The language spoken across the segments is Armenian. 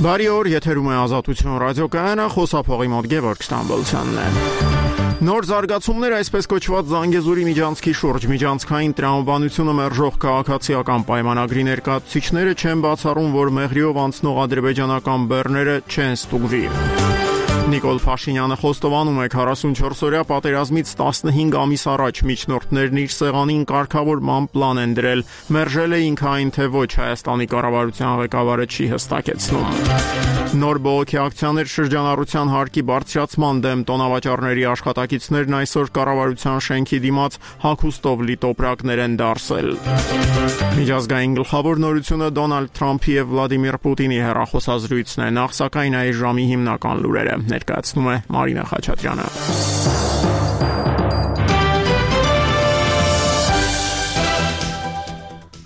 Բարի օր, եթերում է Ազատություն ռադիոկայանը, խոսափողի մոտ Գևորգ Ստամբոլցյանն է։ Նոր զարգացումներ այսպես կոչված Զանգեզուրի միջանցքի շուրջ միջանցքային տրամաբանությունը մերժող քաղաքացիական պայմանագրի ներկայացուցիչները չեն բացառում, որ մեղրիով անցնող ադրբեջանական բեռները չեն ստուգվի։ Նիկոլ Փաշինյանը խոստովանում է 44-օրյա պատերազմից 15 ամիս առաջ միջնորդներն իր սեղանին կարգավորման պլան են դրել, մերժել է ինքը այն, թե ոչ, Հայաստանի կառավարության ղեկավարը չի հստակեցնում։ Նոր բողոքի ակցիաներ շրջանառության հարկի բարձրացման դեմ տոնավաճառների աշխատակիցներն այսօր կառավարության շենքի դիմաց հագուստով լի տոպրակներ են դարսել։ Միջազգային գլխավոր նորությունը Դոնալդ Թրամփի և Վլադիմիր Պուտինի հեռախոսազրույցն է, նախ սակայն այս ժամի հիմնական լուրերը ներկայացնում է Մարինա Խաչատրյանը։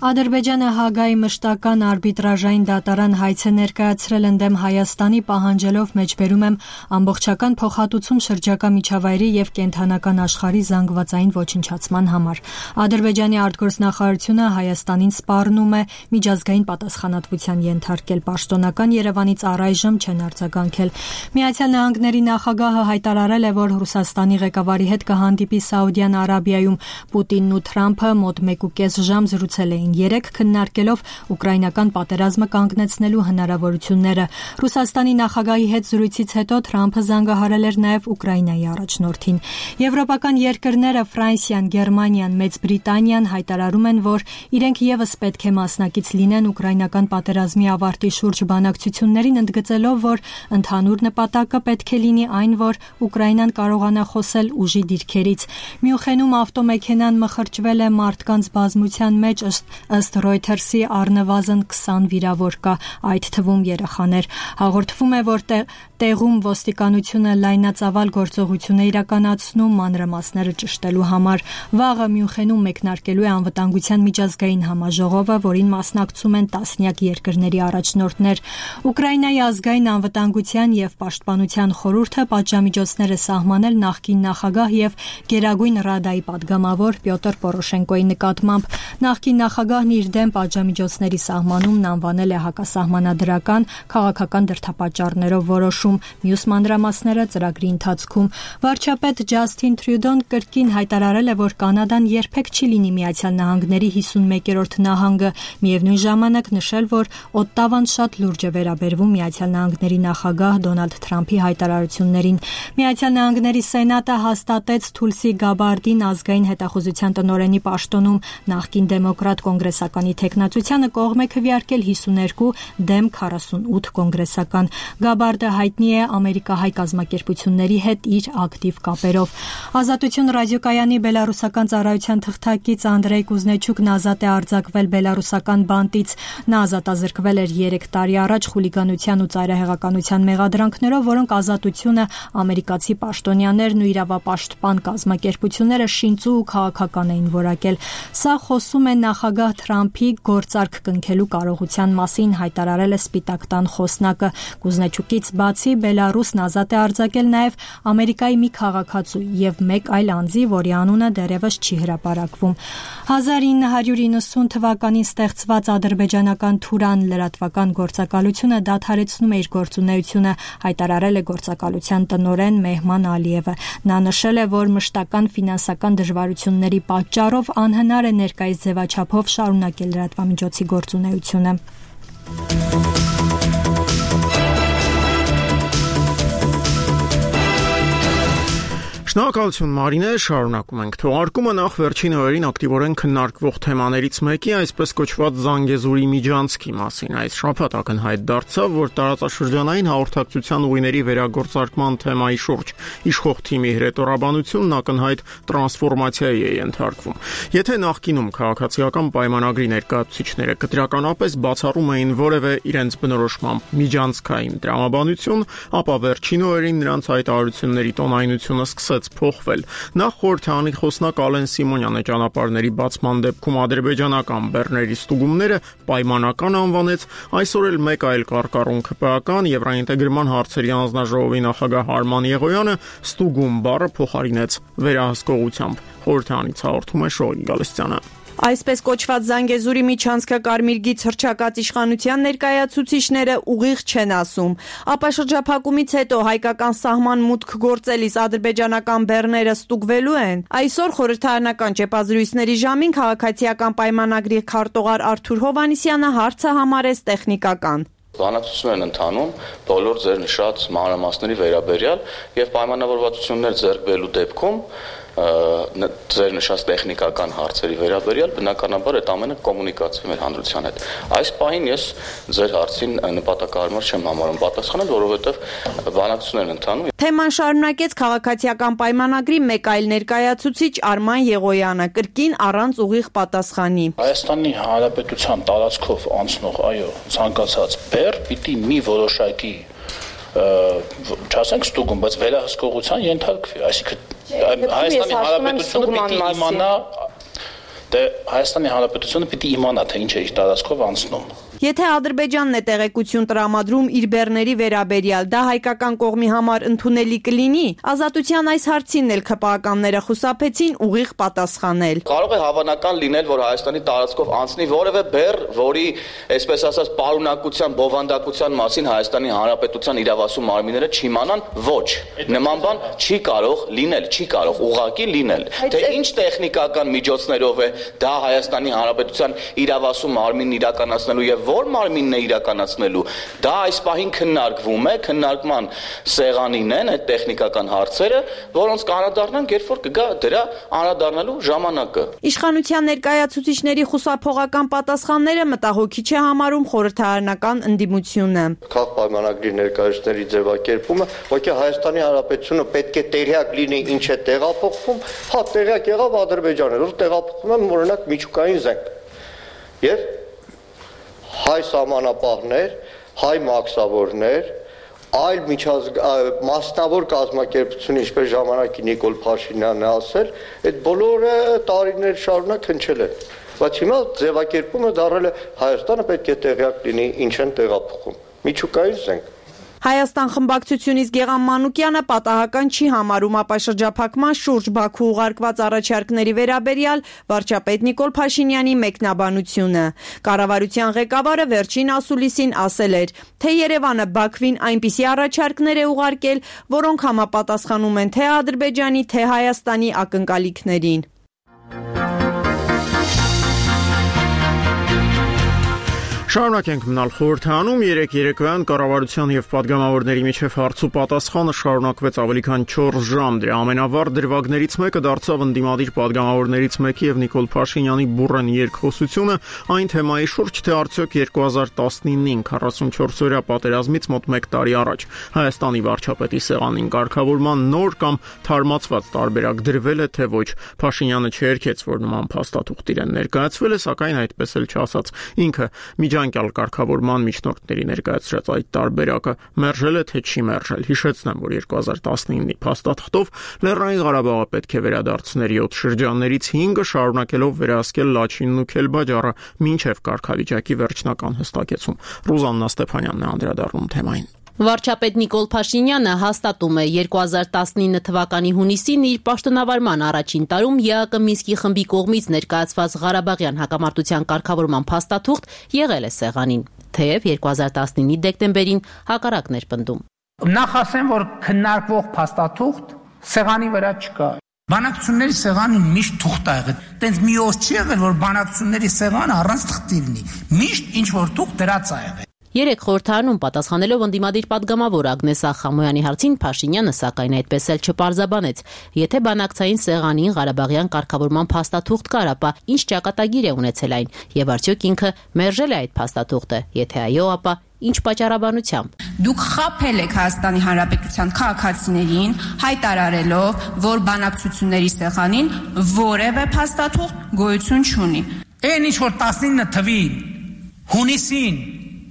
Ադրբեջանը Հագայի մշտական արբիտրաժային դատարան հայց է ներկայացրել ընդդեմ Հայաստանի, պահանջելով մեջբերում եմ ամբողջական փոխհատուցում շրջակա միջավայրի և կենդանական աշխարհի զանգվածային ոչնչացման համար։ Ադրբեջանի արտգործնախարարությունը Հայաստանին սպառնում է միջազգային պատասխանատվության ենթարկել, պաշտոնական Երևանից առայժմ չեն արձագանքել։ Միացյալ Նահանգների նախագահը հայտարարել է, որ Ռուսաստանի ղեկավարի հետ կհանդիպի Սաուդյան Արաբիայում։ Պուտինն ու Թրամփը մոտ 1.5 ժամ զրուցել էին, երեք քննարկելով ուկրաինական պատերազմը կանգնեցնելու հնարավորությունները։ Ռուսաստանի նախագահի հետ զրույցից հետո Թրամփը զանգահարել էր նաև Ուկրաինայի առաջնորդին։ Եվրոպական երկրները Ֆրանսիան, Գերմանիան, Մեծ Բրիտանիան հայտարարում են, որ իրենք ևս պետք է մասնակից լինեն ուկրաինական պատերազմի ավարտի շուրջ բանակցություններին, ընդգծելով, որ ընդհանուր նպատակը պետք է լինի այն, որ Ուկրաինան կարողանա խոսել ուժի դիրքերից։ Մյունխենում ավտոմեքենան մխրճվել է մարդկանց բազմության մեջ, ըստ Reuters-ի առնվազն 20 վիրավոր կա, այդ թվում երեխաներ։ Հաղորդվում է, որ տեղում ոստիկանությունը լայնածավալ գործողություն է իրականացնում մանրամասները ճշտելու համար։ Վաղը Մյունխենում մեկնարկելու է անվտանգության միջազգային համաժողովը, որին մասնակցում են տասնյակ երկրների առաջնորդներ։ Ուկրաինայի ազգային անվտանգության և պաշտպանության խորհուրդը պատժամիջոցներ է սահմանել նախկին նախագահ և Գերագույն Ռադայի պատգամավոր Պյոտր Պորոշենկոյի նկատմամբ։ Նախկին նախագահն իր դեմ պատժամիջոցների սահմանումն անվանել է հակասահմանադրական, քաղաքական դրդապատճառներով որոշում, մյուս մանրամասները ծրագրի ընթացքում։ Վարչապետ Ջասթին Թրյուդոն կրկին հայտարարել է, որ Կանադան երբեք չի լինի Միացյալ Նահանգների 51-րդ նահանգը, միևնույն ժամանակ նշել, որ Օտտավան շատ լուրջ է վերաբերվում Միացյալ Նահանգների նախագահ Դոնալդ Թրամփի հայտարարություններին։ Միացյալ Նահանգների Սենատը հաստատեց Թուլսի Գաբարդին ազգային հետախուզության տնօրենի պաշտոնում, նախկին դեմոկրատ կոնգրեսականի թեկնածությանը կողմ է քվեարկել 52 դեմ 48 կոնգրեսական։ Գաբարդը հայտնի է ամերիկահայ կազմակերպությունների հետ իր ակտիվ կապերով։ Ազատություն ռադիոկայանի բելարուսական ծառայության թղթակից Անդրեյ Կուզնեչուկն ազատ է արձակվել բելարուսական բանտից։ Նա ազատազրկվել էր 3 տարի առաջ խուլիգանության ու ծայրահեղականության մեղադրանքներով, որոնք Ազատությունը, ամերիկացի պաշտոնյաներն ու իրավապաշտպան կազմակերպությունները շինծու ու քաղաքական էին որակել։ Սա խոսում է նախագահ Թրամփի գործարք կնքելու կարողության մասին, հայտարարել է Սպիտակ տան խոսնակը։ Կուզնեչուկից բացի Բելարուսն ազատ է արձակել նաև Ամերիկայի մի քաղաքացու և մեկ այլ անձի, որի անունը դեռևս չի հրապարակվում։ 1990 թվականին ստեղծված ադրբեջանական Թուրան լրատվական գործակալությունը դադարեցնում է իր գործունեությունը, հայտարարել է գործակալության տնօրեն Մեհման Ալիևը։ Նա նշել է, որ մշտական ֆինանսական դժվարությունների պատճառով անհնար է ներկայիս ձևաչափով շարունակել լրատվամիջոցի գործունեությունը։ Շնորհակալություն Մարինե, շարունակում ենք։ Թողարկումը նախ վերջին օրերին ակտիվորեն քննարկվող թեմաներից մեկի, այսպես կոչված Զանգեզուրի միջանցքի մասին։ Այս շաբաթ ակնհայտ դարձավ, որ տարածաշրջանային հաղորդակցության ուղիների վերագործարկման թեմայի շուրջ իշխող թիմի հրետորաբանությունն ակնհայտ տրանսֆորմացիայի է ենթարկվում։ Եթե նախկինում քաղաքացիական պայմանագրի ներկայացուցիչները կտրականապես բացառում էին որևէ իրենց բնորոշմամբ միջանցքային տրամաբանություն, ապա վերջին օրերին նրանց հայտարարությունների տոնայնությունը սկսեց փոխվել։ Նախ խորհրդանի խոսնակ Ալեն Սիմոնյանը ճանապարհների բացման դեպքում ադրբեջանական բեռների ստուգումները պայմանական անվանեց, այսօր էլ մեկ այլ կարկառուն ԿՊԱ-ական Եվրաինտեգրման հարցերի անձնաժողովի նախագահ Արման Եղոյանը ստուգում բառը փոխարինեց վերահսկողությամբ։ Խորհրդանից հաղորդում է Շոյիկ Գալստյանը։ Այսպես կոչված Զանգեզուրի միջանցքը Կարմիր գիծ հռչակած իշխանության ներկայացուցիչները ուղիղ չեն ասում։ Ապա շրջափակումից հետո հայկական սահման մուտք գործելիս ադրբեջանական բեռները ստուգվելու են։ Այսօր խորհրդարանական ճեպազրույցների ժամին քաղաքացիական պայմանագրի քարտուղար Արթուր Հովհաննիսյանը հարցը համարեց տեխնիկական։ Բանակցություններ են ընթանում բոլոր ձեր նշած մանրամասների վերաբերյալ եւ պայմանավորվածություններ ձեռք բերելու դեպքում ձեր նշած տեխնիկական հարցերի վերաբերյալ բնականաբար այդ ամենը կոմունիկացվի մեր հանրության հետ։ Այս պահին ես ձեր հարցին նպատակահարմար չեմ համարում պատասխանել, որովհետեւ բանակցություններ են ընթանում։ Թեման շարունակեց քաղաքացիական պայմանագրի մեկ այլ ներկայացուցիչ Արման Եղոյանը, կրկին առանց ուղիղ պատասխանի։ Հայաստանի Հանրապետության տարածքով անցնող, այո, ցանկացած բեռ պիտի մի որոշակի չասենք ստուգում, բայց վերահսկողության ենթարկվի, այսինքն Հայաստանի Հանրապետությունը պիտի իմանա, Հայաստանի Հանրապետությունը պիտի իմանա, թե ինչ է իր տարածքով անցնում։ Եթե Ադրբեջանն է տեղեկություն տրամադրում իր բեռների վերաբերյալ, դա հայկական կողմի համար ընդունելի կլինի։ Ազատության այս հարցին էլ ՔՊԱ-ականները խուսափեցին ուղիղ պատասխանել։ Կարող է հավանական լինել, որ Հայաստանի տարածքով անցնի որևէ բեռ, որի, այսպես ասած, պարունակության, բովանդակության մասին Հայաստանի Հանրապետության իրավասու մարմինները չիմանան, ոչ։ Նման բան չի կարող լինել, չի կարող ուղղակի լինել։ Թե ինչ տեխնիկական միջոցներով է դա Հայաստանի Հանրապետության իրավասու մարմինն իրականացնելու եւ որ մարմինն է իրականացնելու, դա այս պահին քննարկվում է, քննարկման սեղանին են այդ տեխնիկական հարցերը, որոնց կանադառնանք, երբ որ կգա դրա անդրադառնալու ժամանակը։ Իշխանության ներկայացուցիչների խուսափողական պատասխանները մտահոգիչ է համարում խորհրդարանական ընդդիմությունը։ Քաղաքապայմանագրի ներկայացուցիչների ձևակերպումը, ոչինչ Հայաստանի Հանրապետությունը պետք է տեղյակ լինի ինչ է տեղափոխվում, հա տեղյակ եղավ Ադրբեջանը, որ տեղափոխվում է օրինակ միջուկային զենք։ Եվ հայ սահմանապահներ, հայ մաքսավորներ, այլ մասնավոր կազմակերպություն, ինչպես ժամանակի Նիկոլ Փաշինյանն է ասել, այդ բոլորը տարիներ շարունակ հնչել են։ Բայց հիմա ձևակերպումը դառել է Հայաստանը պետք է տեղյակ լինի ինչ են տեղափոխում։ Միջուկային զենք։ Հայաստան խմբակցությունից Գեղամ Մանուկյանը պատահական չի համարում ապա շրջափակման շուրջ Բաքու ուղարկված առաջարկների վերաբերյալ վարչապետ Նիկոլ Փաշինյանի մեկնաբանությունը։ Կառավարության ղեկավարը վերջին ասուլիսին ասել էր, թե Երևանը Բաքվին այնպիսի առաջարկներ է ուղարկել, որոնք համապատասխանում են թե Ադրբեջանի, թե Հայաստանի ակնկալիքներին։ Շարունակենք մնալ խորհրդանում, երեկոյան կառավարության եւ պատգամավորների միջև հարց ու պատասխանը շարունակվեց ավելի քան 4 ժամ։ Դրա ամենավառ դրվագներից մեկը դարձավ ընդդիմադիր պատգամավորներից մեկի եւ Նիկոլ Փաշինյանի բուռն երկխոսությունը այն թեմայի շուրջ, թե արդյոք 2019-ին 44-օրյա պատերազմից մոտ 1 տարի առաջ Հայաստանի վարչապետի սեղանին կարգավորման նոր կամ թարմացված տարբերակ դրվել է, թե ոչ։ Փաշինյանը չերքեց, որ նման փաստաթուղթ իրեն ներկայացվել է, սակայն այդպես էլ չասաց։ Ինքը միջանկյալ կարգավորման միջնորդների ներկայացրած այդ տարբերակը մերժել է, թե չի մերժել։ Հիշեցնեմ, որ 2019-ի փաստաթղթով Լեռնային Ղարաբաղը պետք է վերադարձներ 7 շրջաններից 5-ը, շարունակելով վերահսկել Լաչինն ու Քելբաջարը մինչև կարգավիճակի վերջնական հստակեցում։ Ռուզաննա Ստեփանյանն է անդրադառնում թեմային։ Վարչապետ Նիկոլ Փաշինյանը հաստատում է 2019 թվականի հունիսին իր պաշտոնավարման առաջին տարում ԵԱԿ Մինսկի խմբի կողմից ներկայացված Ղարաբաղյան հակամարտության կարգավորման փաստաթուղթ եղել է սեղանին, թեև 2019-ի դեկտեմբերին հակառակն էր պնդում։ Նախ ասեմ, որ քննարկվող փաստաթուղթ սեղանի վրա չկա։ Բանակցությունների սեղանին միշտ թուղթ ա եղել։ Տենց մի օր չի եղել, որ բանակցությունների սեղանը առանց թղթի լինի։ Միշտ ինչ որ թուղթ դրած ա եղել։ Երեք խորհրդարանում պատասխանելով ընդդիմադիր պատգամավոր Ագնես Ախամոյանի հարցին Փաշինյանը սակայն այդպես էլ չպարզաբանեց։ Եթե բանակցային սեղանին Ղարաբաղյան կարգավորման փաստաթուղթ կար, ապա ինչ ճակատագիր է ունեցել այն, եւ արդյոք ինքը մերժել է այդ փաստաթուղթը, եթե այո, ապա ինչ պատճառաբանությամբ։ Դուք խաբել եք Հայաստանի Հանրապետության քաղաքացիներին, հայտարարելով, որ բանակցությունների սեղանին որևէ փաստաթուղթ գոյություն չունի։ Այն ինչ որ 19 թվի հունիսին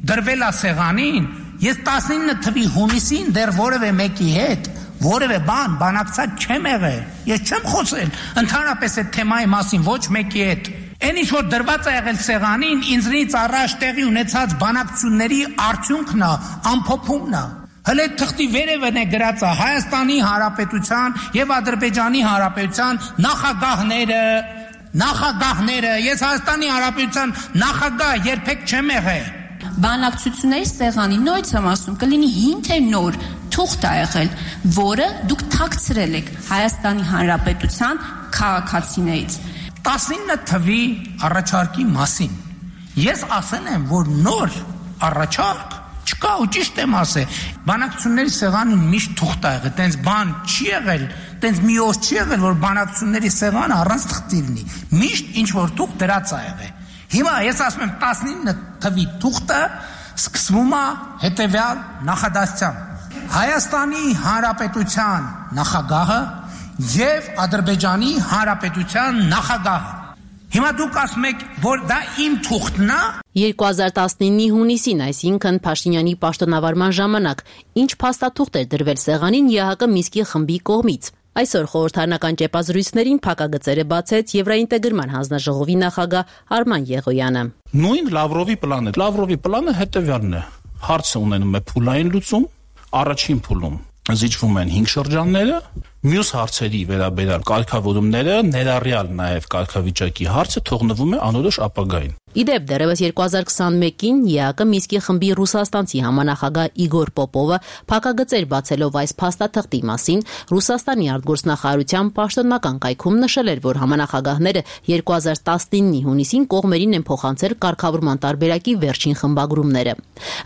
դրվել է սեղանին, ես 19 թվի հունիսին դեռ որևէ մեկի հետ որևէ բանակցած չեմ եղել, ես չեմ խոսել ընդհանրապես այդ թեմայի մասին ոչ մեկի հետ։ Այն ինչ որ դրված է եղել սեղանին, ինձնից առաջ տեղի ունեցած բանակցությունների արդյունքն է, ամփոփումն է։ Հələ թղթի վերևն է գրած է Հայաստանի Հանրապետության եւ Ադրբեջանի Հանրապետության նախագահները, նախագահները, ես Հայաստանի Հանրապետության նախագահ երբեք չեմ եղել։ Բանակցությունների սեղանի նույնց եմ ասում, կլինի հին թե նոր թուղթ ա եղել, որը դուք թաքցրել եք Հայաստանի Հանրապետության քաղաքացիներից։ 19 թվի առաջարկի մասին ես ասել եմ, որ նոր առաջարկ չկա ու ճիշտ եմ ասել։ Բանակցությունների սեղանին միշտ թուղթ ա եղել, տենց բան չի եղել, տենց մի օր չի եղել, որ բանակցությունների սեղանը առանց թղթի լինի։ Միշտ ինչ որ թուղթ դրած ա եղել։ Հիմա ես ասում եմ 19 թվի թուղթը սկսվում է հետևյալ նախադասությամբ. Հայաստանի Հանրապետության նախագահը եւ Ադրբեջանի Հանրապետության նախագահը։ Հիմա դուք ասում եք, որ դա իմ թուղթն է։ 2019-ի հունիսին, այսինքն Փաշինյանի պաշտոնավարման ժամանակ, ինչ փաստաթուղթ էր դրվել սեղանին ԵԱՀԿ Մինսկի խմբի կողմից։ Այսօր խորհրդարանական ճեպազրույցներին փակագծերը բացեց Եվրաինտեգրման հանձնաժողովի նախագահ Արման Եղոյանը։ Նույն Լավրովի պլանը։ Լավրովի պլանը հետևյալն է. հարցը ունենում է փուլային լուծում, առաջին փուլում զիջվում են 5 շրջանները, մյուս հարցերի վերաբերյալ կարգավորումները, ներառյալ նաև կարգավիճակի հարցը թողնվում է անորոշ ապագային։ Իդեպ դեռևս 2021-ին ԵԱՀԿ Մինսկի խմբի ռուսաստանցի համանախագահ Իգոր Պոպովը փակագծեր բացելով այս փաստաթղթի մասին Ռուսաստանի արտգործնախարարության պաշտոնական կայքում նշել էր, որ համանախագահները 2019-ի հունիսին կողմերին են փոխանցել կարգավորման տարբերակի վերջին խմբագրումները։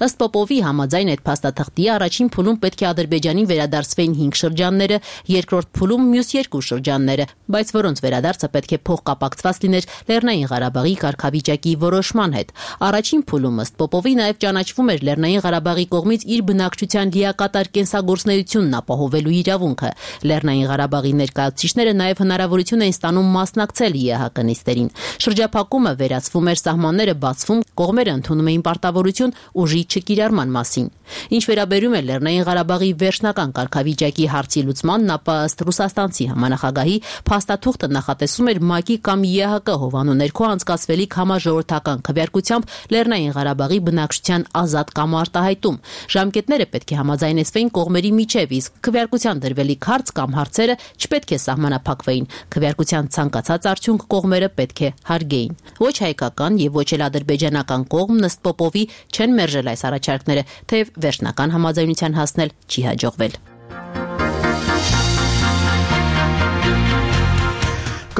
Ըստ Պոպովի համաձայն այդ փաստաթղթի առաջին փուլում պետք է Ադրբեջանին վերադարձվեին 5 շրջանները, երկրորդ փուլում մյուս 2 շրջանները, բայց որոնց վերադարձը պետք է փոխկապակցված լիներ Լեռնային Ղարաբաղի կարգավիճակի որոշման հետ։ Առաջին փուլում ըստ Պոպովի նաև ճանաչվում էր Լեռնային Ղարաբաղի կողմից իր բնակչության լիակատար կենսագործունեությունն ապահովելու իրավունքը։ Լեռնային Ղարաբաղի ներկայացուցիչները նաև հնարավորություն էին ստանում մասնակցել ԵԱՀԿ նիստերին։ Շրջափակումը վերացվում էր, սահմանները բացվում, կողմերը ընդունում էին պարտավորություն ուժի չկիրառման մասին։ Ինչ վերաբերում է Լեռնային Ղարաբաղի վերջնական կարգավիճակի հարցի լուծմանն, ապա ըստ ռուսաստանցի համանախագահի փաստաթուղթը նախատեսում էր ՄԱԿ-ի կամ ԵԱՀԿ հովանու ներքո անցկացվելիք համաժողովրդական քվեարկությամբ Լեռնային Ղարաբաղի բնակչության ազատ կամ արտահայտում։ Ժամկետները պետք է համաձայնեցվեին կողմերի միջև, իսկ քվեարկության դրվելիք հարց կամ հարցերը չպետք է սահմանափակվեին։ Քվեարկության ցանկացած արդյունք կողմերը պետք է հարգեին։ Ոչ հայկական եւ ոչ էլ ադրբեջանական կողմն ըստ Պոպովի չեն մերժել այս առաջարկները, թեև վերջնական համաձայնության հասնել չի հաջողվել։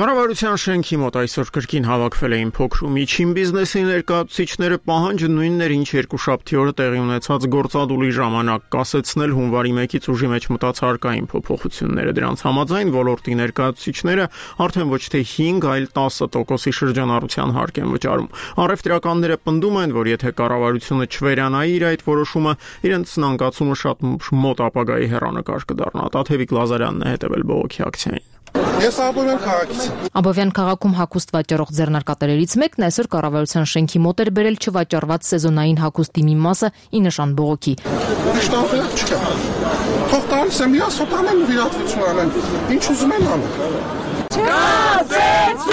Կառավարության շենքի մոտ այսօր կրկին հավաքվել էին փոքր ու միջին բիզնեսի ներկայացուցիչները, պահանջը նույնն էր, ինչ երկուշաբթի օրը տեղի ունեցած գործադուլի ժամանակ կասեցնել հունվարի 1-ից ուժի մեջ մտած հարկային փոփոխությունները։ Դրանց համաձայն ոլորտի ներկայացուցիչները արդեն ոչ թե 5, այլ 10% շրջանառության հարկ են վճարում։ Առևտրականները պնդում են, որ եթե կառավարությունը չվերանայի իր այդ որոշումը, իրենց զանգացումը շատ մոտ ապագայի հեռանկար կդառնա։ Տաթևիկ Լազարյանն է հետևել բողոքի ակցիային։ Ես Աբովյան քաղաքից եմ։ Abovyan քաղաքում հագուստ վաճառող ձեռնարկատերերից մեկն այսօր կառավարության շենքի մոտ էր բերել չվաճառված սեզոնային հագուստի մի մասը ի նշան բողոքի։ Իշտանք չկա։ Թող տալիս եմ ես, հոտանեմ վիրատվություն անեմ։ Ինչ ուզում են անեմ։ Կասեցում։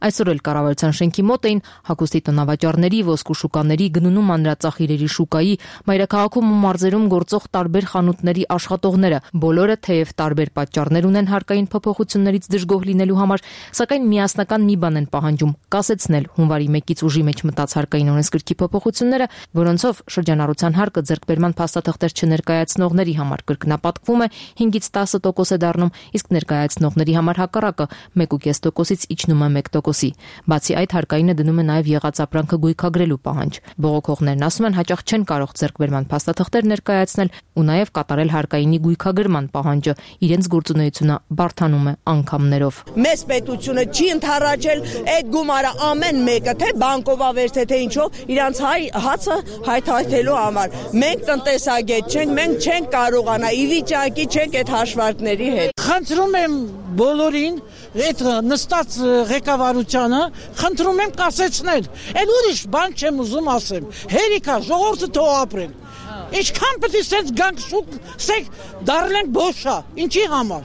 Այսօր էլ կառավարության շենքի մոտ էին հագուստի տնավաճառների, ոսկու շուկաների, գնունու մանրածախիրերի շուկայի, մայրաքաղաքում ու մարզերում գործող տարբեր խանութների աշխատողները։ Բոլորը թեև տարբեր պատճառներ ունեն հարկային փոփոխություններից դժգոհ լինելու համար, սակայն միասնական մի բան են պահանջում՝ կասեցնել հունվարի 1-ից ուժի մեջ մտած հարկային օրենսգրքի փոփոխությունները, որոնցով շրջանառության հարկը ձեռքբերման փաստաթղթեր չներկայացնողների համար կրկնապատկվում է 5-ից 10% է դառնում, իսկ ներկայացնողների համար հակառակը 1.5%-ից իջնում է 1%։ Բացի այդ, հարկայինը դնում է նաև եղած ապրանքը գույքագրելու պահանջ։ Բողոքողներն ասում են, հաճախ չեն կարող ձեռքբերման փաստաթղթեր ներկայացնել ու նաև կատարել հարկայինի գույքագրման պահանջը։ Իրենց գործունեությունը բարդանում է անգամներով։ Մեծ պետությունը չի ընդառաջել այդ գումարը ամեն մեկը, թե բանկովավերց թե ինչով, իրանց հացը հայթայթելու համար։ Մենք տնտեսագետ չենք, մենք չենք կարողանա ի վիճակի չենք այդ հաշվարկների հետ։ Խնդրում եմ բոլորին այդ նստած ղեկավարությանը, խնդրում եմ կասեցնել։ Այդ ուրիշ բան չեմ ուզում ասեմ։ Հերիքա ժողովուրդը թող ապրեն։ Ինչքան պետք է սենց գանք սեք դառնենք բոշա, ինչի համար։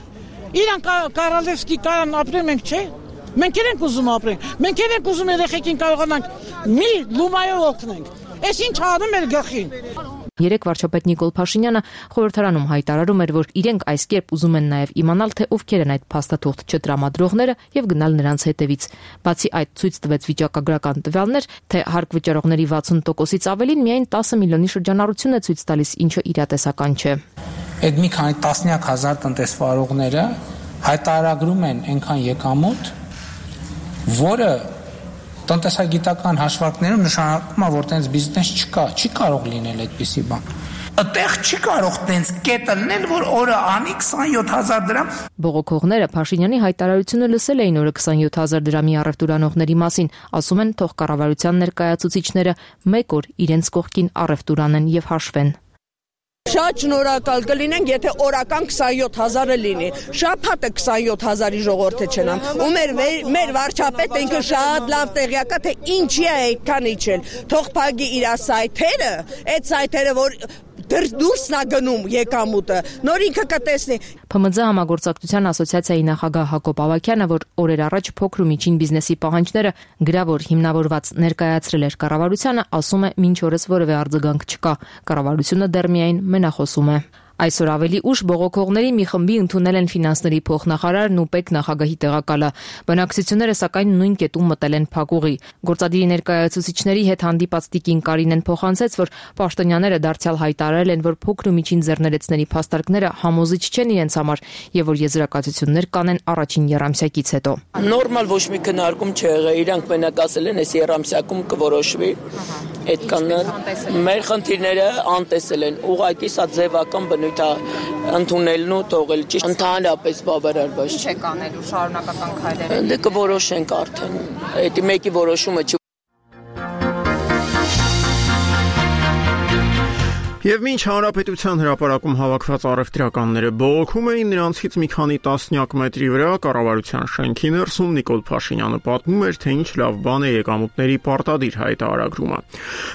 Իրան Կարալևսկի կարան ապրեն, մենք չէ։ Մենք ենք ուզում ապրենք։ Մենք ենք ուզում երեխեքին կարողանանք մի լումայով օգնենք։ Այս ինչ անում էր գախին։ Երեկ վարչապետ Նիկոլ Փաշինյանը խորհրդարանում հայտարարում էր, որ իրենք այս կերպ ուզում են նաև իմանալ, թե ովքեր են այդ փաստաթուղթ չտրամադրողները եւ գնալ նրանց հետևից։ Բացի այդ, ցույց տվեց վիճակագրական տվյալներ, թե հարկ վճարողների 60%-ից ավելին միայն 10 միլիոնի շրջանառություն է ցույց տալիս, ինչը իրատեսական չէ։ Այդ մի քանի տասնյակ հազար տնտեսվարողները հայտարարում են այնքան եկամուտ, որը տնտեսագիտական հաշվարկներում նշանակում է, որ տենց բիզնես չկա, չի կարող լինել այդպիսի բան։ Այդտեղ չի կարող տենց կետը լինել, որ օրը անի 27000 դրամ։ Բողոքողները Փաշինյանի հայտարարությունը լսել էին օրը 27000 դրամի առևտուրանողների մասին, ասում են թող կառավարության ներկայացուցիչները մեկ օր իրենց կողքին առևտուր անեն եւ հաշվեն։ Շատ շնորհակալ կլինենք, եթե օրական 27000-ը լինի։ Շաբաթը 27000-ի ժողովուրդը չնամ։ Ու մեր վարչապետը ինքը շատ լավ տեղյակ է, թե ինչի է այդքան իջել։ Թող փակի իր սայթերը, այդ սայթերը, որ դուրսն է գնում եկամուտը, նոր ինքը կտեսնի։ ՓՄԶ համագործակցության ասոցիացիայի նախագահ Հակոբ Ավագյանը, որ օրեր առաջ փոքր ու միջին բիզնեսի պահանջները գրավոր հիմնավորված ներկայացրել էր կառավարությանը, ասում է, մինչ օրս որևէ արձագանք չկա։ Կառավարությունը դեռ միայն մենախոսում է։ Այսօր ավելի ուշ բողոքողների մի խմբի ընդունել են ֆինանսների փոխնախարարն ու ՊԵԿ նախագահի տեղակալը։ Բնակչությունները սակայն նույն կետում մտել են փակուղի։ Գործադիրի ներկայացուցիչների հետ հանդիպած տիկին Կարինեն փոխանցեց, որ պաշտոնյաները դարձյալ հայտարարել են, որ փոքր ու միջին ձեռներեցների փաստարկները համոզիչ չեն իրենց համար եւ որ եզրակացություններ կանեն առաջին եռամսյակից հետո։ Նորմալ ոչ մի քննարկում չեղե, իրանք մենակ ասել են, այս եռամսյակում կորոշվի։ Այդքան մեր խնդիրները անտեսել են, ուղղակի սա ձևական բնույթ է ընդունելն ու թողել ճիշտ ընդհանրապես բավարար բայց ինչ է կանելու շարունակական քայլեր։ Դե կորոշենք արդեն։ Այդ մեկի որոշումը Եվ մինչ հանրապետության հրապարակում հավաքված առևտրականները բողոքում էին, նրանցից մի քանի տասնյակ մետրի վրա կառավարության շենքի ներսում Նիկոլ Փաշինյանը պատմում էր, թե ինչ լավ բան է եկամուտների պարտադիր հայտարարումը։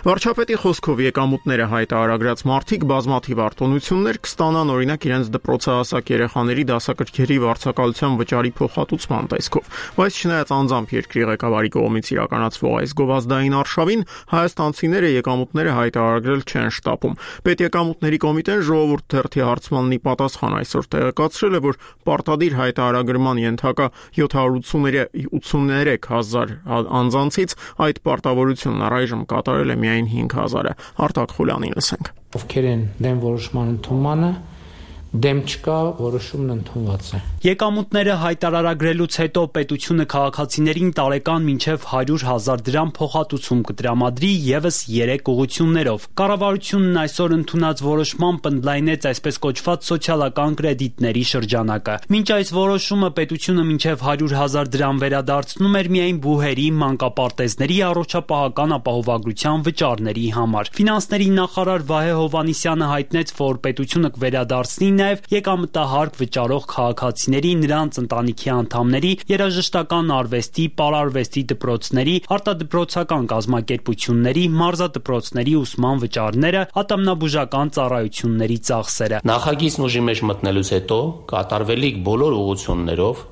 Վարչապետի խոսքով եկամուտները հայտարարած մարդիկ բազմաթիվ արտոնություններ կստանան, օրինակ իրենց դպրոցահասակ երեխաների դասակարգերի վարձակալության վճարի փոխհատուցման տեսքով, բայց չնայած անձամբ երկրի ղեկավարի կողմից իրականացվող այս գովազդային արշավին, հայաստանցիները եկամուտները հայտարարել չեն շտապում։ Պետեկամուտների կոմիտեն ժողովուրդ թերթի հարցմաննի պատասխան այսօր տեղեկացրել է, որ պարտադիր հայտարարման ենթակա 783 հազար անձանցից այդ պարտավորությունն առայժմ կատարել է միայն 5000-ը։ Արտակ Խուլյանին լսենք։ Ովքեր են դեմ որոշման ընդունմանը, դեմ չկա, որոշումն ընդունված է։ Եկամուտները հայտարարագրելուց հետո պետությունը քաղաքացիներին տարեկան մինչև 100,000 դրամ փոխհատուցում կտրամադրի եւս 3 ուղղություններով։ Կառավարությունն այսօր ընդունած որոշմամբ ընդլայնեց այսպես կոչված սոցիալական կրեդիտների շրջանակը։ Մինչ այս որոշումը պետությունը մինչև 100,000 դրամ վերադարձնում էր միայն բուհերի, մանկապարտեզների առողջապահական ապահովագրության վճարների համար։ Ֆինանսների նախարար Վահե Հովհաննիսյանը հայտնեց, որ պետությունը կվերադարձնի նաև եկամտահարկ վճարող քաղաքացիների, նրանց ընտանիքի անդամների, երաժշտական արվեստի, պարարվեստի դպրոցների, արտադպրոցական կազմակերպությունների, մարզադպրոցների ուսման վճարները, ատամնաբուժական ծառայությունների ծախսերը։ Նախագիծն ուժի մեջ մտնելուց հետո կատարվելիք բոլոր ուղղություններով,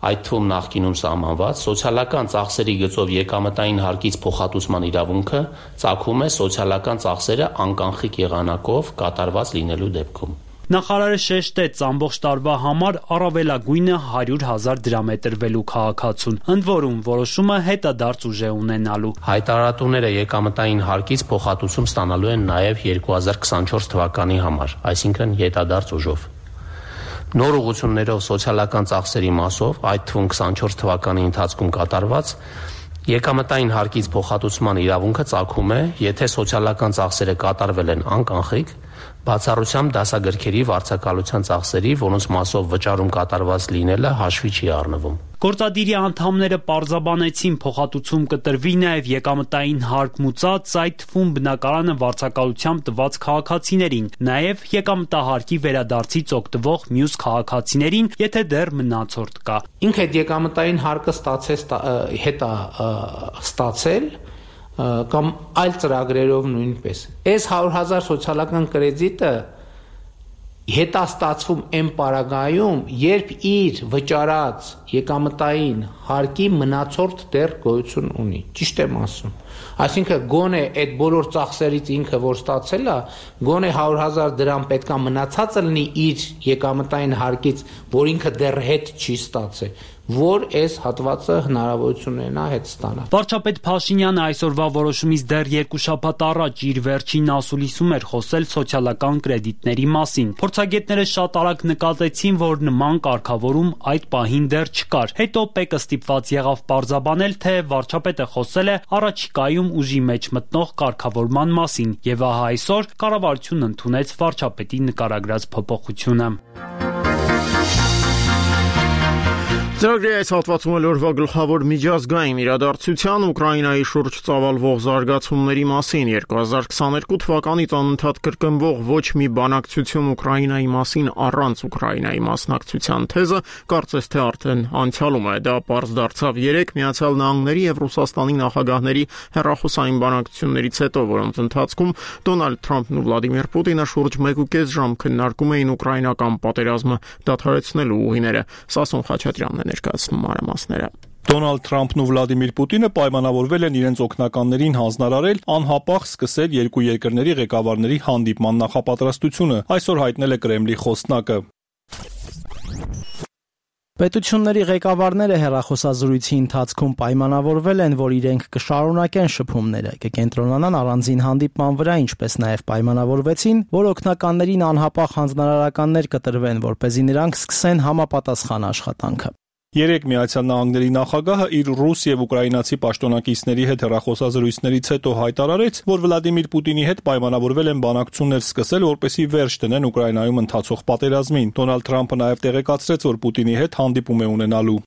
այդ թվում նախկինում սահմանված սոցիալական ծախսերի գծով եկամտային հարկից փոխհատուցման իրավունքը ծագում է սոցիալական ծախսերը անկանխիկ եղանակով կատարված լինելու դեպքում։ Նախարարը շեշտեց ամբողջ տարվա համար առավելագույնը 100,000 դրամ է տրվելու քաղաքացուն։ Ընդ որում որոշումը հետադարձ ուժ է ունենալու։ Հայտարարատուները եկամտային հարկից փոխհատուցում ստանալու են նաև 2024 թվականի համար, այսինքն հետադարձ ուժով։ Նոր ուղղություններով սոցիալական ծախսերի մասով, այդ թվում 24 թվականի ընթացքում կատարված, եկամտային հարկից փոխհատուցման իրավունքը ծագում է, եթե սոցիալական ծախսերը կատարվել են անկանխիկ, բացառությամբ դասագրքերի վարձակալության ծախսերի, որոնց մասով վճարում կատարված լինելը հաշվի չի առնվում։ Գործադիրի անդամները պարզաբանեցին փոխհատուցում կտրվի նաև եկամտային հարկ մուծած, այդ թվում բնակարանը վարձակալությամբ տված քաղաքացիներին, նաև եկամտահարկի վերադարձից օգտվող մյուս քաղաքացիներին, եթե դեռ մնացորդ կա։ Ինքը այդ եկամտային հարկը ստացել կամ այլ ծրագրերով նույնպես։ Այս 100,000 սոցիալական կրեդիտը հետաստացվում այն պարագայում, երբ իր վճարած եկամտային հարկի մնացորդ դեռ գոյություն ունի։ Ճիշտ եմ ասում։ Այսինքն գոնե այդ բոլոր ծախսերից ինքը որ ստացել է, գոնե 100,000 դրամ պետքա մնացածը լինի իր եկամտային հարկից, որ ինքը դեռ հետ չի ստացել, որ այս հատվածը հնարավորություն ունենա հետ ստանալ։ Վարչապետ Փաշինյանը այսօրվա որոշումից դեռ 2 շաբաթ առաջ իր վերջին ասուլիսում էր խոսել սոցիալական կրեդիտների մասին։ Փորձագետները շատ արագ նկատեցին, որ նման կարգավորում այդ պահին դեռ չկար։ Հետո ՊԵԿ-ը ստիպված եղավ պարզաբանել, թե վարչապետը խոսել է առաջիկայում ուժի մեջ մտնող կարգավորման մասին, եւ ահա այսօր կառավարությունն ընդունեց վարչապետի նկարագրած փոփոխությունը։ Ծրագրի այս հատվածում էլ օրվա գլխավոր միջազգային իրադարձության Ուկրաինայի շուրջ ծավալվող զարգացումների մասին 2022 թվականից անընդհատ կրկնվող ոչ մի բանակցություն Ուկրաինայի մասին առանց Ուկրաինայի մասնակցության թեզը կարծես թե արդեն անցյալում է։ Դա պարզ դարձավ 3 Միացյալ Նահանգների եւ Ռուսաստանի նախագահների հեռախոսային բանակցություններից հետո, որոնց ընթացքում Դոնալդ Թրամփն ու Վլադիմիր Պուտինը շուրջ 1.5 ժամ քննարկում էին ուկրաինական պատերազմը դադարեցնելու ուղիները։ Սասուն Խաչատրյանն ներկայացնում մանրամասները։ Դոնալդ Թրամփն ու Վլադիմիր Պուտինը պայմանավորվել են իրենց օգնականներին հանձնարարել անհապաղ սկսել երկու երկրների ղեկավարների հանդիպման նախապատրաստությունը, այսօր հայտնել է Կրեմլի խոսնակը։ Պետությունների ղեկավարները հեռախոսազրույցի ընթացքում պայմանավորվել են, որ իրենք կշարունակեն շփումները, կկենտրոնանան առանձին հանդիպման վրա, ինչպես նաև պայմանավորվեցին, որ օգնականներին անհապաղ հանձնարարականներ կտրվեն, որպեսզի նրանք սկսեն համապատասխան աշխատանքը։ 3 Միացյալ Նահանգների նախագահը իր ռուս եւ ուկրաինացի պաշտոնակիցների հետ հեռախոսազրույցներից հետո հայտարարեց, որ Վլադիմիր Պուտինի հետ պայմանավորվել են բանակցություններ սկսել, որպեսզի վերջ դնեն Ուկրաինայում ընթացող պատերազմին։ Դոնալդ Թրամփը նաև տեղեկացրեց, որ Պուտինի հետ հանդիպում է ունենալու։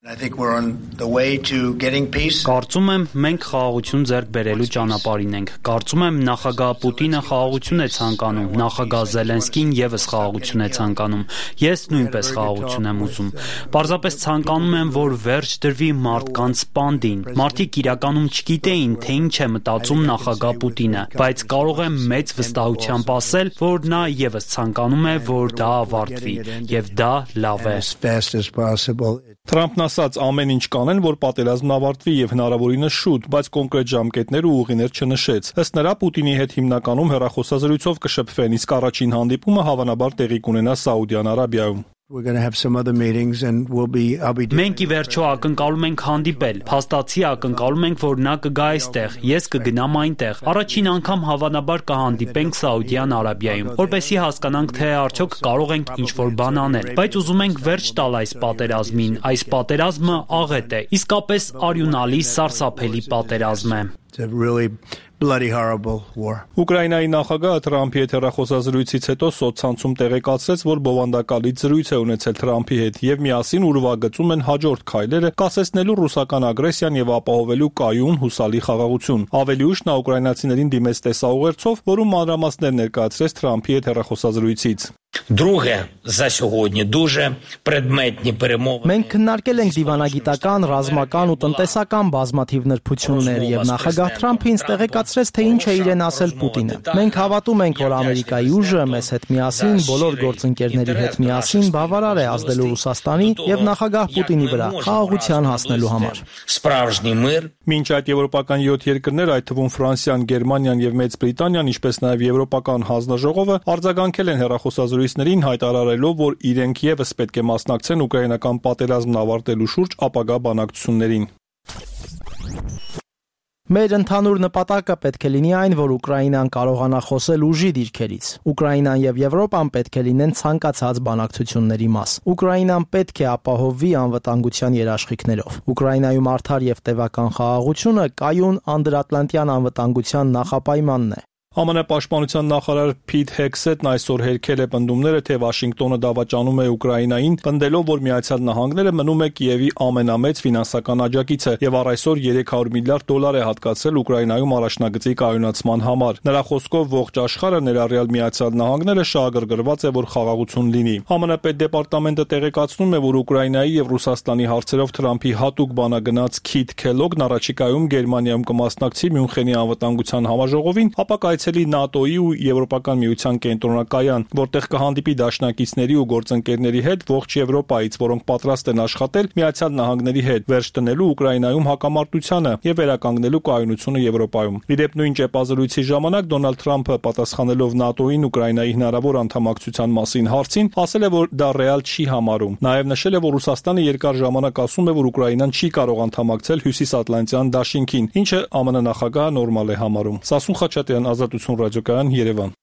Կարծում եմ, մենք խաղաղություն ձեռք բերելու ճանապարհին ենք։ Կարծում եմ, նախագահ Պուտինը խաղաղություն է ցանկանում, նախագահ Զելենսկին եւս խաղաղություն է ցանկանում։ Ես նույնպես խաղաղություն եմ ուզում։ Պարզապես ցանկանում եմ, որ վերջ դրվի մարդկանց սպանդին։ Մարդիկ իրականում չգիտեին, թե ինչ է մտածում նախագահ Պուտինը, բայց կարող եմ մեծ վստահությամբ ասել, որ նա եւս ցանկանում է, որ դա ավարտվի, եւ դա լավ է։ Թրամփն ասաց, ամեն ինչ կանեն, որ պատերազմն ավարտվի եւ հնարավորինս շուտ, բայց կոնկրետ ժամկետներ ու ուղիներ չնշեց։ Ըստ նրա Պուտինի հետ հիմնականում հեռախոսազրույցով կշփվեն, իսկ առաջին հանդիպումը հավանաբար տեղի կունենա Սաուդյան Արաբիայում։ Մենք ի վերջո ակնկալում ենք հանդիպել, փաստացի ակնկալում ենք, որ նա կգա այստեղ, ես կգնամ այնտեղ, առաջին անգամ հավանաբար կհանդիպենք Սաուդյան Արաբիայում, որպեսզի հասկանանք, թե արդյոք կարող ենք ինչ-որ բան անել, բայց ուզում ենք վերջ տալ այս պատերազմին, այս պատերազմը աղետ է, իսկապես արյունալի սարսափելի պատերազմ է։ Ուկրաինայի նախագահը Թրամփի հետ հեռախոսազրույցից հետո սոցցանցում տեղեկացրեց, որ բովանդակալից զրույց է ունեցել Թրամփի հետ եւ միասին ուրվագծում են հաջորդ քայլերը կասեցնելու ռուսական ագրեսիան եւ ապահովելու կայուն հուսալի խաղաղություն։ Ավելի ուշ նա ուկրաինացիներին դիմեց տեսաուղերձով, որում մանրամասներ ներկայացրեց Թրամփի հետ հեռախոսազրույցից։ Մենք քննարկել ենք դիվանագիտական, ռազմական ու տնտեսական բազմաթիվ նրբություններ եւ նախագահ Թրամփը ինձ տեղեկացրեց, թե ինչ է իրեն ասել Պուտինը։ Մենք հավատում ենք, որ Ամերիկայի ուժը մեզ հետ միասին, բոլոր գործընկերների հետ միասին բավարար է ազդելու Ռուսաստանի եւ նախագահ Պուտինի վրա խաղաղության հասնելու համար։ Մինչ այդ եվրոպական 7 երկրներ, այդ թվում Ֆրանսիան, Գերմանիան եւ Մեծ Բրիտանիան, ինչպես նաեւ Եվրոպական հանձնաժողովը արձագանքել են հեռախոսազրույցներին հայտարարելով, որ իրենք եւս պետք է մասնակցեն ուկրաինական պատերազմն ավարտելու շուրջ ապագա բանակցություններին։ Մեր ընդհանուր նպատակը պետք է լինի այն, որ Ուկրաինան կարողանա խոսել ուժի դիրքերից։ Ուկրաինան եւ Եվրոպան պետք է լինեն ցանկացած բանակցությունների մաս։ Ուկրաինան պետք է ապահովվի անվտանգության երաշխիքներով։ Ուկրաինայում արդար եւ տևական խաղաղությունը կայուն անդրատլանտյան անվտանգության նախապայմանն է։ ԱՄՆ պաշտպանության նախարար Փիթ Հեքսետն այսօր հերքել է պնդումները, թե Վաշինգտոնը դավաճանում է Ուկրաինային, պնդելով, որ Միացյալ Նահանգները մնում է Կիևի ամենամեծ ֆինանսական աջակիցը եւ առ այսօր $300 միլիարդ է հատկացրել Ուկրաինայում առաջնագծի կայունացման համար։ Նրա խոսքով ողջ աշխարհը, ներառյալ Միացյալ Նահանգները, շահագրգռված է, որ խաղաղություն լինի։ ԱՄՆ պետդեպարտամենտը տեղեկացնում է, որ Ուկրաինայի եւ Ռուսաստանի հարցերով Թրամփի հատուկ բանագնաց Քիթ Քելոգն առաջիկայում Գերմանիայում կմասնակցի Մյունխենի անվտանգության համաժողովին, ապա կայցելի ՆԱՏՕ-ի ու Եվրոպական միության կենտրոնակայան, որտեղ կհանդիպի դաշնակիցների ու գործընկերների հետ ողջ Եվրոպայից, որոնք պատրաստ են աշխատել Միացյալ Նահանգների հետ, վերջ դնելու Ուկրաինայում հակամարտությանը եւ վերականգնելու կայունությունը Եվրոպայում։ Իդեպ նույն ճեպազրույցի ժամանակ Դոնալդ Թրամփը, պատասխանելով ՆԱՏՕ-ին Ուկրաինայի հնարավոր անդամակցության մասին հարցին, ասել է, որ դա ռեալ չի համարում։ Նաեւ նշել է, որ Ռուսաստանը երկար ժամանակ ասում է, որ Ուկրաինան չի կարող անդամակցել Հյուսիսատլանտյան դաշինքին, ինչը ԱՄՆ նախագահը նորմալ է համարում։ Սասուն Խաչատրյան, Ազատություն ռադիոկայան, Երևան։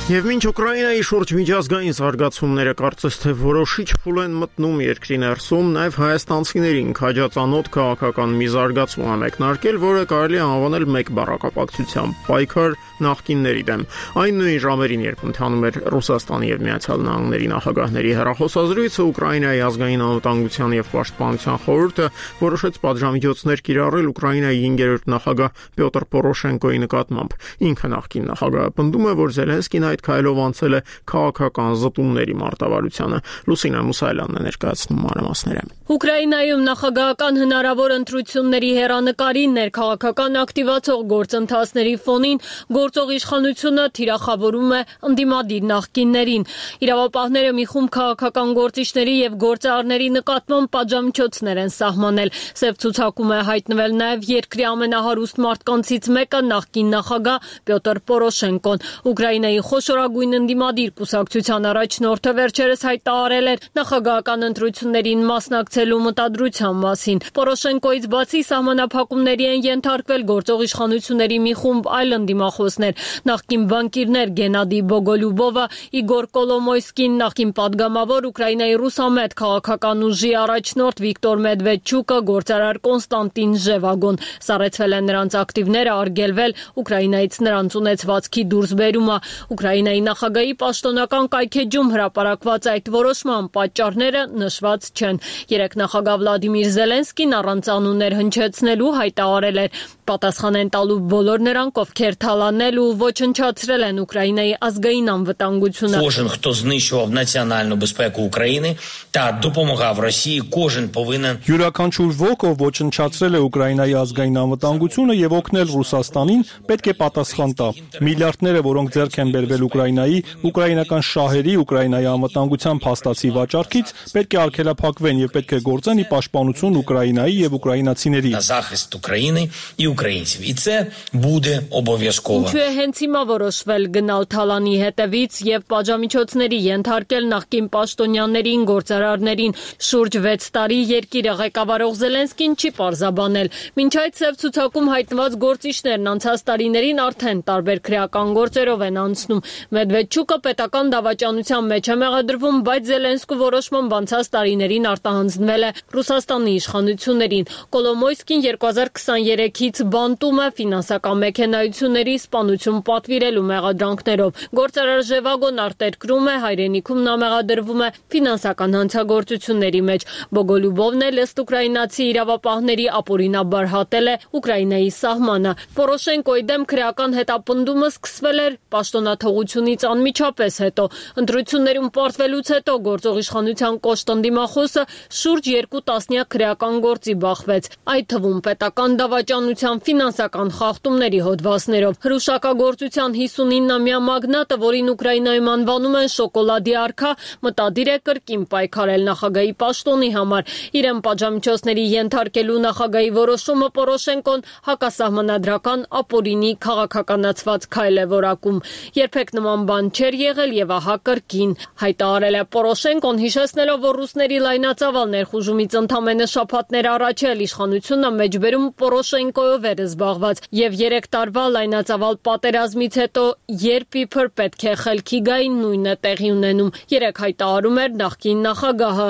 Եվ մինչ Ուկրաինայի շուրջ միջազգային զարգացումները կարծես թե որոշիչ փուլ են մտնում երկրի ներսում, նաև հայաստանցիներին քաջածանոթ քաղաքական մի զարգացում է մեկնարկել, որը կարելի է անվանել մեկ բառակապակցությամբ՝ պայքար նախկինների դեմ։ Այն նույն ժամերին, երբ ընթանում էր Ռուսաստանի եւ Միացյալ Նահանգների նախագահների հեռախոսազրույցը, Ուկրաինայի ազգային անվտանգության եւ պաշտպանության խորհուրդը որոշեց պատժամիջոցներ կիրառել Ուկրաինայի 5-րդ նախագահ Պյոտր Պորոշենկոյի նկատմամբ։ Ինքը նախկին նախագահը պնդում է, որ Զելենսկին այդ քայլով անցել է քաղաքական զտումների մարտավարությանը։ Լուսինա Մուսայելյանն է ներկայացնում մանրամասները։ Ուկրաինայում նախագահական հնարավոր ընտրությունների հեռանկարի ներքաղաքական ակտիվացող գործընթացների ֆոնին գործող իշխանությունը թիրախավորում է ընդդիմադիր նախկիններին։ Իրավապահները մի խումբ քաղաքական գործիչների եւ գործարարների նկատմամբ պատժամիջոցներ են սահմանել։ Սև ցուցակում է հայտնվել նաեւ երկրի ամենահարուստ մարդկանցից մեկը նախկին նախագահ Պյոտր Պորոշենկոն։ Ուկրաինայի խոշորագույն ընդդիմադիր կուսակցության առաջնորդը վերջերս հայտարարել էր նախագահական ընտրություններին մասնակցելու մտադրության մասին։ Պորոշենկոից բացի սահմանափակումների են ենթարկվել գործող իշխանությունների մի խումբ այլ ընդդիմախոսներ, նախկին բանկիրներ Գենադի Բոգոլյուբովը, Իգոր Կոլոմոյսկին, նախկին падգամավոր Ուկրաինայի ռուսամետ քաղաքական ուժի առաջնորդ Վիկտոր Մեդվեդչուկը, գործարար Կոնստանտին Ժևագոն։ Սառեցվել են նրանց ակտիվները, արգելվել Ուկրաինայից նրանց ունեցվածքի դուրսբերումը։ Ուկրաինայի նախագահի պաշտոնական կայքեջում հրապարակված այդ որոշման պատճառները նշված չեն։ Երեկ նախագահ Վլադիմիր Զելենսկին առանց անուններ հնչեցնելու հայտարարել էր. պատասխան են տալու բոլոր նրանք, ովքեր թալանել ու ոչնչացրել են Ուկրաինայի ազգային անվտանգությունը։ Кожен, хто знищував національну безпеку України та допомагав Росії, кожен повинен Յուրաքանչյուր ոք, ով ոչնչացրել է Ուկրաինայի ազգային անվտանգությունը եւ օգնել Ռուսաստանին, պետք է պատասխան տա։ Միլիարդները, որոնք ձեռք են բերվել Ուկրաինայի, ուկրաինական շահերի, Ուկրաինայի անվտանգության փաստացի վաճառքից, պետք է արգելափակվեն եւ պետք է գործեն ի պաշտպանություն Ուկրաինայի եւ ուկրաինացիների։ на захист України і українців. І це буде обов'язково. Ինչու է հենց հիմա որոշվել գնալ Թալանի հետևից եւ պատժամիջոցների ենթարկել նախկին պաշտոնյաներին, գործարարներին։ Շուրջ 6 տարի երկիրը ղեկավարող Զելենսկին չի պարզաբանել։ Մինչ այդ սև ցուցակում հայտնված գործիչներն անցած տարիներին արդեն տարբեր քրեական գործերով են անցնում։ Մեդվեդչուկը պետական դավաճանության մեջ է մեղադրվում, բայց Զելենսկու որոշմամբ անցած տարիներին արտահանձնվել է Ռուսաստանի իշխանություններին։ Կոլոմոյսկին 2023-ից բանտում է ֆինանսական մեքենայությունների սպանություն պատվիրելու մեղադրանքներով։ Գործարար Ժևագոն արտերկրում է, հայրենիքում նա մեղադրվում է ֆինանսական հանցագործությունների մեջ։ Բոգոլյուբովն էլ ըստ ուկրաինացի իրավապահների ապօրինաբար հատել է Ուկրաինայի սահմանը։ Պորոշենկոյի դեմ քրեական հետապնդումը սկսվել էր պաշտոնաթողությունից անմիջապես հետո։ Ընտրություններում պարտվելուց հետո գործող իշխանության կոշտ ընդդիմախոսը շուրջ 2 տասնյակ քրեական գործի բախվեց, այդ թվում պետական դավաճանության ֆինանսական խախտումների հոդվածներով։ Հրուշակագործության 59-ամյա մագնատը, որին Ուկրաինայում անվանում են շոկոլադի արքա, մտադիր է կրկին պայքարել նախագահի պաշտոնի համար։ Իրեն պատժամիջոցների ենթարկելու նախագահի որոշումը Պորոշենկոն հակասահմանադրական ապօրինի քաղաքականացված քայլ է որակում։ Երբեք նման բան չէր եղել եւ ահա կրկին, հայտարարել է Պորոշենկոն, հիշեցնելով, որ ռուսների լայնածավալ ներխուժումից ընդամենը շաբաթներ առաջ էլ իշխանությունը մեջբերում Պորոշենկոյով էր զբաղված եւ 3 տարվա լայնածավալ պատերազմից հետո երբ իբր պետք է խելքի գային, նույնը տեղի ունենում։ Երեք հայտարարում էր նախկին նախագահը.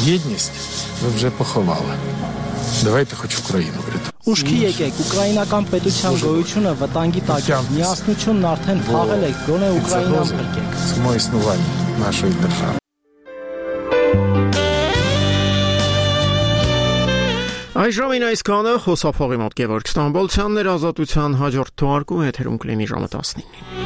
Єдність ви вже поховали. Давайте хоч Україну врятуємо. Ուշքի եկեք, ուկրաինական պետության գոյությունը վտանգի տակ է։ Միասնությունն արդեն փաղել եք, գոնե Ուկրաինան փրկեք։ Само існування нашої держави. Այժմին այսքանը խոսափողի մոտ Գևորգ Ստամբոլցյանն էր, Ազատության հաջորդ թողարկումը եթերում կլինի ժամը 19-ին։